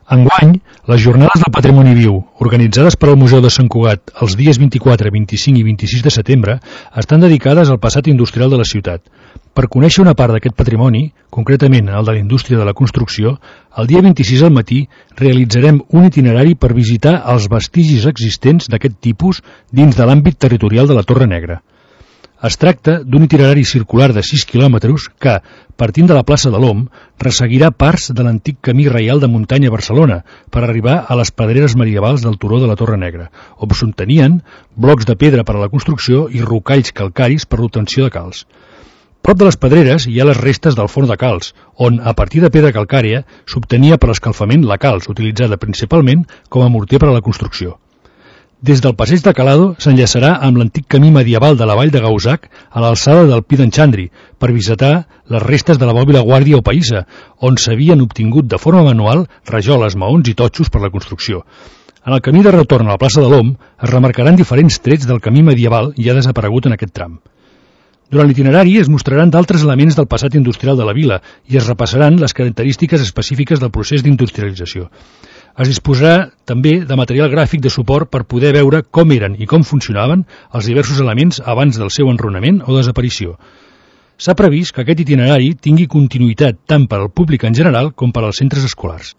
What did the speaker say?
Enguany, les Jornades del Patrimoni Viu, organitzades per al Museu de Sant Cugat els dies 24, 25 i 26 de setembre, estan dedicades al passat industrial de la ciutat. Per conèixer una part d'aquest patrimoni, concretament el de la indústria de la construcció, el dia 26 al matí realitzarem un itinerari per visitar els vestigis existents d'aquest tipus dins de l'àmbit territorial de la Torre Negra. Es tracta d'un itinerari circular de 6 quilòmetres que, partint de la plaça de l'Om, resseguirà parts de l'antic camí reial de muntanya a Barcelona per arribar a les pedreres medievals del turó de la Torre Negra, on s'obtenien blocs de pedra per a la construcció i rocalls calcaris per l'obtenció de calç. Prop de les pedreres hi ha les restes del forn de calç, on, a partir de pedra calcària, s'obtenia per l'escalfament la calç, utilitzada principalment com a morter per a la construcció. Des del passeig de Calado s'enllaçarà amb l'antic camí medieval de la vall de Gauzac a l'alçada del Pi d'en Xandri per visitar les restes de la bòbila guàrdia o païssa, on s'havien obtingut de forma manual rajoles, maons i totxos per la construcció. En el camí de retorn a la plaça de l'Om es remarcaran diferents trets del camí medieval ja desaparegut en aquest tram. Durant l'itinerari es mostraran d'altres elements del passat industrial de la vila i es repassaran les característiques específiques del procés d'industrialització. Es disposarà també de material gràfic de suport per poder veure com eren i com funcionaven els diversos elements abans del seu enrunament o desaparició. S'ha previst que aquest itinerari tingui continuïtat tant per al públic en general com per als centres escolars.